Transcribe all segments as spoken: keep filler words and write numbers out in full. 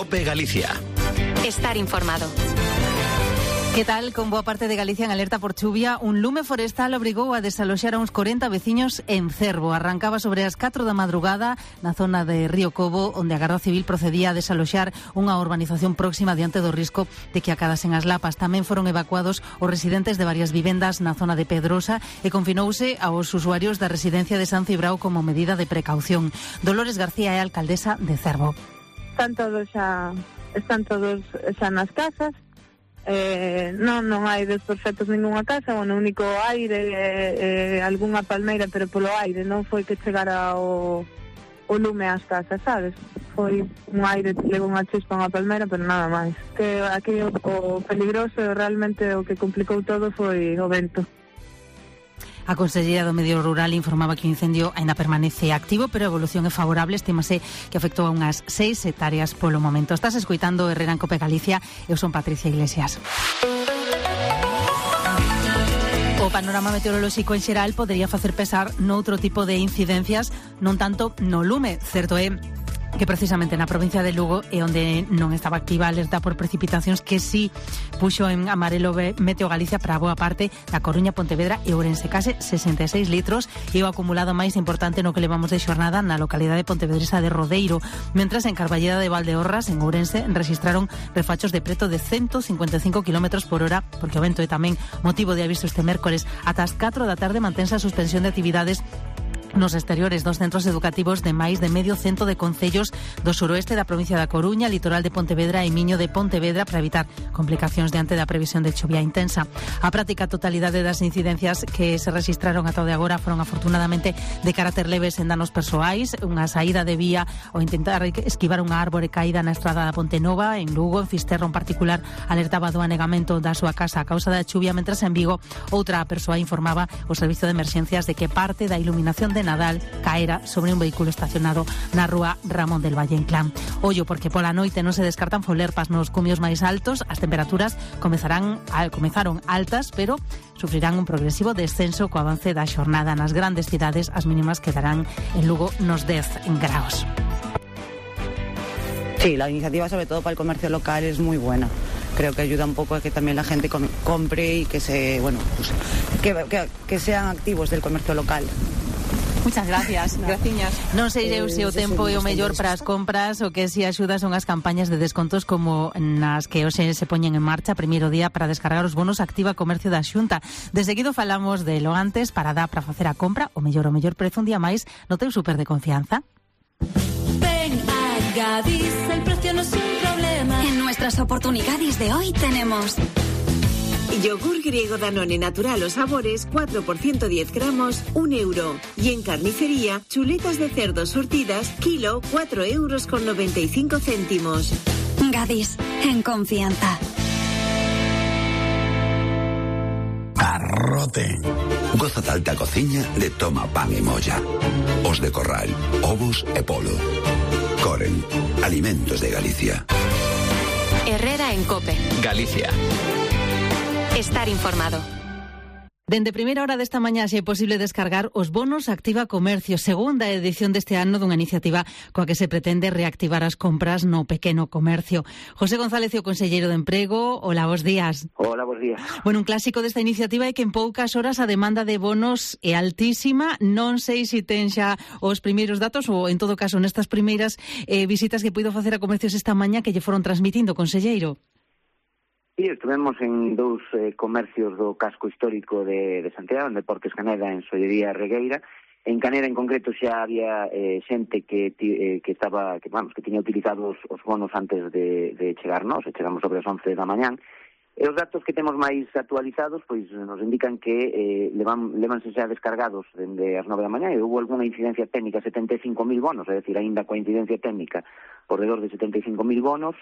COPE Galicia. Estar informado. Que tal? Con boa parte de Galicia en alerta por chuvia, un lume forestal obrigou a desaloxar a uns corenta veciños en Cervo. Arrancaba sobre as catro da madrugada na zona de Río Cobo, onde a Garda Civil procedía a desaloxar unha urbanización próxima diante do risco de que acadasen as lapas. Tamén foron evacuados os residentes de varias vivendas na zona de Pedrosa e confinouse aos usuarios da residencia de San Cibrao como medida de precaución. Dolores García é alcaldesa de Cervo. Están todos xa, están todos xa nas casas. Eh, non, non hai desperfectos ningunha casa, o único aire eh, eh, algunha palmeira, pero polo aire non foi que chegara o, o lume ás casas, sabes? Foi un aire, levou unha chispa unha palmeira, pero nada máis. Que aquí o, o peligroso, realmente o que complicou todo foi o vento. A Conselleira do Medio Rural informaba que o incendio ainda permanece activo, pero a evolución é favorable. Estímase que afectou a unhas seis hectáreas polo momento. Estás escoitando Herrera en COPE Galicia. Eu son Patricia Iglesias. O panorama meteorolóxico en xeral podería facer pesar noutro tipo de incidencias, non tanto no lume. Certo é que precisamente na provincia de Lugo é onde non estaba activa a alerta por precipitacións, que sí puxo en amarelo Meteo Galicia para boa parte da Coruña, Pontevedra e Ourense, case sesenta e seis litros, e o acumulado máis importante no que levamos de xornada na localidade pontevedresa de Rodeiro, mentras en Carballeda de Valdeorras, en Ourense, registraron refachos de preto de ciento cincuenta e cinco kilómetros por hora, porque o vento é tamén motivo de aviso este mércores. Ata as catro da tarde mantense a suspensión de actividades nos exteriores dos centros educativos de máis de medio cento de concellos do suroeste da provincia da Coruña, litoral de Pontevedra e Miño de Pontevedra, para evitar complicacións diante da previsión de chuvia intensa. A práctica totalidade das incidencias que se registraron ata o de agora foron afortunadamente de carácter leves en danos persoais, unha saída de vía ou intentar esquivar unha árbore caída na estrada da Ponte Nova. En Lugo, en Fisterra en particular, alertaba do anegamento da súa casa a causa da chuvia, mentras en Vigo outra persoa informaba o servizo de emerxencias de que parte da iluminación de Nadal caera sobre un vehículo estacionado na rúa Ramón del Valle en Clan. Ollo, porque pola noite non se descartan folerpas nos cumios máis altos. As temperaturas comezarán a, comezaron altas, pero sufrirán un progresivo descenso co avance da xornada. Nas grandes cidades as mínimas quedarán en Lugo nos dez graus. Sí, la iniciativa sobre todo para el comercio local es muy buena. Creo que ayuda un poco a que también la gente com- compre y que se, bueno, pues, que, que, que sean activos del comercio local. Muchas gracias, graciñas. Non sei eu se o tempo é o mellor para as compras ou que se axuda son as campañas de descontos como nas que hoxe se poñen en marcha. Primeiro día para descargar os bonos Activa Comercio da Xunta. De seguido falamos de lo antes para dar para facer a compra o mellor o mellor prezo un día máis no teu súper de confianza. Ven a Gadis, el precio no es un problema. En nuestras oportunidades de hoy tenemos yogur griego Danone natural o sabores cuatro por ciento diez gramos, un euro. Y en carnicería, chuletas de cerdo surtidas, kilo, cuatro euros con noventa y cinco céntimos. Gadis, en confianza. Arrote. Goza da alta cociña de Toma Pan e Molla. Os de Corral, ovos e polo. Coren, alimentos de Galicia. Herrera en COPE Galicia. Estar informado. Dende primeira hora desta mañá xe é posible descargar os bonos Activa Comercio, segunda edición deste ano dunha iniciativa coa que se pretende reactivar as compras no pequeno comercio. José González, o conselleiro de Emprego, hola, bos días. Hola, bos días. Bueno, un clásico desta iniciativa é que en poucas horas a demanda de bonos é altísima. Non sei se ten xa os primeiros datos ou, en todo caso, nestas primeiras eh, visitas que puido facer a comercios esta mañá que lle foron transmitindo, conselleiro. Sí, estuvemos en dous eh, comercios do casco histórico de, de Santiago, en Deportes Caneda, en Sollería Regueira. En Caneda, en concreto, xa había eh, xente que eh, que estaba, que vamos, que tiña utilizado os, os bonos antes de, de chegarnos, e chegamos sobre as once da mañán. E os datos que temos máis actualizados, pois nos indican que eh, levan, levanse xa descargados dende as nove da mañá, e houve alguna incidencia técnica, setenta e cinco mil bonos, é dicir, aínda coa incidencia técnica, por redor de setenta e cinco mil bonos.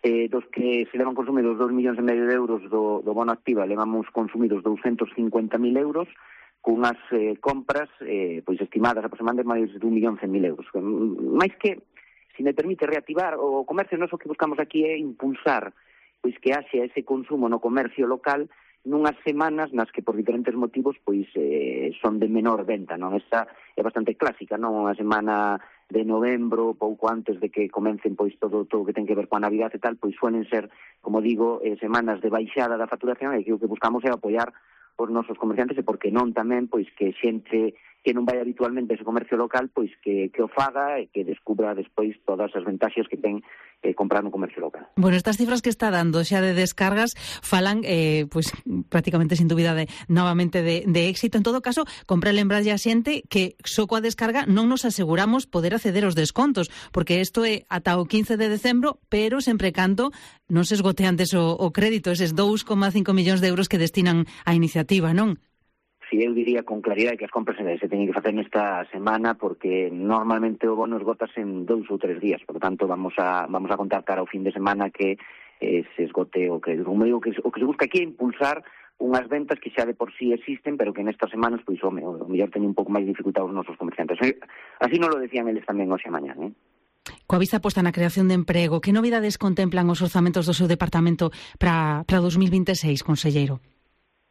Eh, dos que se levan consumidos dos millóns e medio de euros do, do bono Activa, levamos consumidos doscientos cincuenta mil euros, cunhas eh, compras eh, pois estimadas aproximadamente máis de un millón cen mil euros. Mais que, se me permite reactivar o comercio, nós o que buscamos aquí é impulsar pois que haxe ese consumo no comercio local nunhas semanas nas que por diferentes motivos pois eh, son de menor venta, non? Esta é bastante clásica, non? Unha semana de novembro, pouco antes de que comecen pois todo todo o que ten que ver coa Navidad e tal, pois suelen ser, como digo, eh, semanas de baixada da facturación, e que o que buscamos é apoiar os nosos comerciantes, e porque non tamén pois que xente que non vai habitualmente a ese comercio local, pois que, que o faga e que descubra despois todas as ventaxas que ten eh, comprar no comercio local. Bueno, estas cifras que está dando xa de descargas falan eh, pois prácticamente sin dúbida de, novamente de, de éxito. En todo caso, compra lembrarlle a xente que só coa descarga non nos aseguramos poder acceder aos descontos, porque isto é ata o quince de decembro, pero sempre canto non se esgote antes o, o crédito, eses dous coma cinco millóns de euros que destinan á iniciativa, non? Si eu diría con claridade que as compras se teñen que facer nesta semana, porque normalmente o bono esgotas en dous ou tres días, por lo tanto vamos a vamos a contar cara ao fin de semana que eh, se esgote o crédito. Como digo, que o que se busca aquí é impulsar unhas ventas que xa de por sí existen, pero que nestas semanas, pois, o mellor teñen un pouco máis dificultad os nosos comerciantes. Así non lo decían eles tamén hoxe a mañá, eh? Coa vista posta na creación de emprego, que novidades contemplan os orzamentos do seu departamento para para dos mil vinte e seis, conselleiro?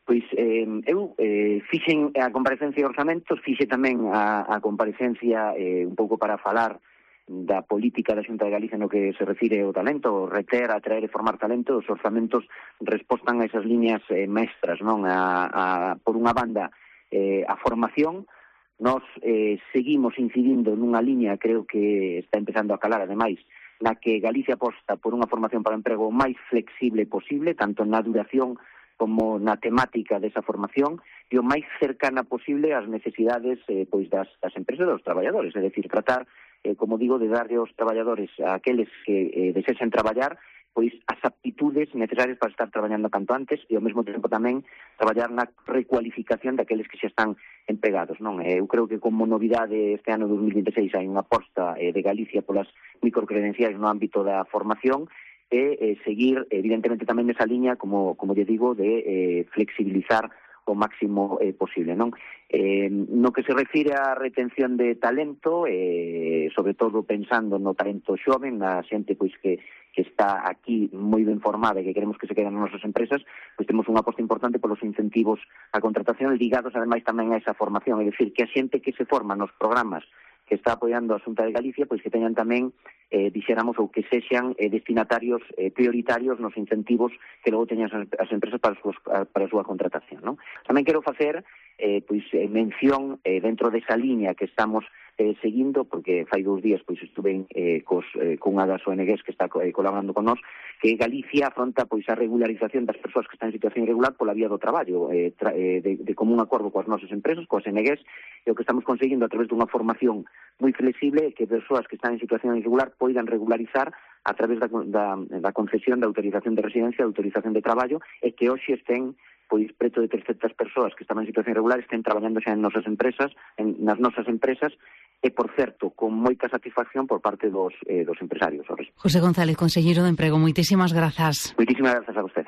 Pois eh, eu eh, fixen a comparecencia de orzamentos, fixe tamén a, a comparecencia eh, un pouco para falar da política da Xunta de Galicia no que se refire ao talento, reter, atraer e formar talento. Os orzamentos respostan a esas líneas eh, mestras, non? A, a, por unha banda, eh, a formación. Nós eh, seguimos incidindo nunha liña, creo que está empezando a calar, ademais, na que Galicia aposta por unha formación para o emprego máis flexible posible, tanto na duración como na temática desa formación, e o máis cercana posible ás necesidades eh, pois das, das empresas e dos traballadores, é dicir, tratar, eh, como digo, de darlle aos traballadores, a aqueles que eh, desexen traballar, pois as aptitudes necesarias para estar traballando canto antes, e ao mesmo tempo tamén traballar na recualificación daqueles que xa están empregados, non? Eu creo que como novidade este ano dos mil vinte e seis hai unha aposta eh, de Galicia polas microcredenciais no ámbito da formación, e eh, seguir, evidentemente, tamén nesa liña, como, como lle digo, de eh, flexibilizar o máximo eh, posible, non? Eh, no que se refire á retención de talento, eh, sobre todo pensando no talento xoven, na xente pois que, que está aquí moi ben formada e que queremos que se queden nas nosas empresas, pois temos unha aposta importante polos incentivos á contratación ligados, ademais, tamén a esa formación, é dicir, que a xente que se forma nos programas que está apoiando a Xunta de Galicia, pois que teñan tamén, eh, dixéramos, ou que sexan eh, destinatarios eh, prioritarios nos incentivos que logo teñan as, as empresas para a, súa, para a súa contratación, non? Tamén quero facer eh, pois, eh, mención eh, dentro desa liña que estamos eh, seguindo, porque fai dous días pois estuve eh, cos, eh, cunha das O N Gs que está eh, colaborando con nós, que Galicia afronta pois a regularización das persoas que están en situación irregular pola vía do traballo, eh, tra, eh, de, de común acordo coas nosas empresas, coas O N Gs, e o que estamos conseguindo a través dunha formación moi flexible que persoas que están en situación irregular poidan regularizar a través da, da, da concesión da autorización de residencia, da autorización de traballo, e que hoxe estén pois preto de trescentas persoas que estaban en situación irregular estén traballando xa en nosas empresas, en, nas nosas empresas, e, por certo, con moita satisfacción por parte dos, eh, dos empresarios. José González, conselleiro de Emprego, moitísimas grazas. Moitísimas grazas a usted.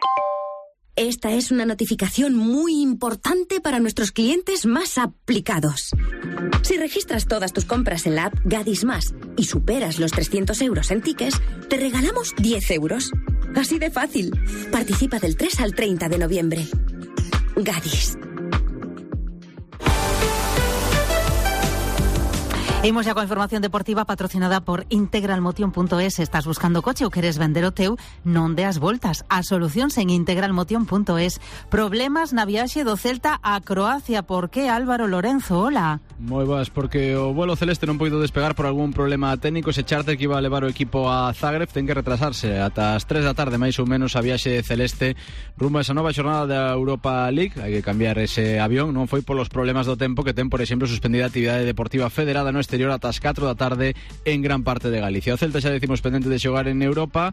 Esta es una notificación muy importante para nuestros clientes más aplicados. Si registras todas tus compras en la app Gadis Más y superas los trescientos euros en tickets, te regalamos diez euros. Así de fácil. Participa del tres al treinta de noviembre. Gadis. Imos ya coa información deportiva patrocinada por integralmotion punto es. Estás buscando coche ou queres vender o teu? Non deas voltas. A solución en integralmotion punto es. Problemas na viaxe do Celta a Croacia. Por que, Álvaro Lorenzo? Hola. Moi boas, porque o vuelo celeste non poido despegar por algún problema técnico. Ese charter que iba a levar o equipo a Zagreb ten que retrasarse ata as tres da tarde, máis ou menos, a viaxe celeste rumbo a esa nova xornada da Europa League. Hai que cambiar ese avión. Non foi polos problemas do tempo que ten, por exemplo, suspendida a actividade deportiva federada no exterior ata as catro da tarde en gran parte de Galicia. O Celta xa decimos pendente de xogar en Europa.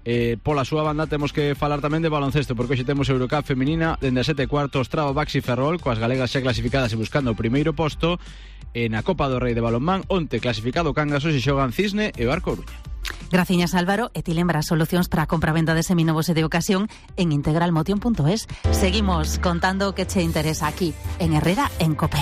Eh, pola súa banda temos que falar tamén de baloncesto, porque hoxe temos Eurocup feminina dende as sete cuartos, Traba, Baxi, Ferrol, coas galegas xa clasificadas e buscando o primeiro posto. E na Copa do Rei de balonmán, onte clasificado Cangas, hoxe xogan Cisne e Bar Coruña. Graciñas, Álvaro, e ti lembras solucións para a compra-venda de seminovos e de ocasión en integralmotion punto es. Seguimos contando o que che interesa aquí en Herrera en Cope.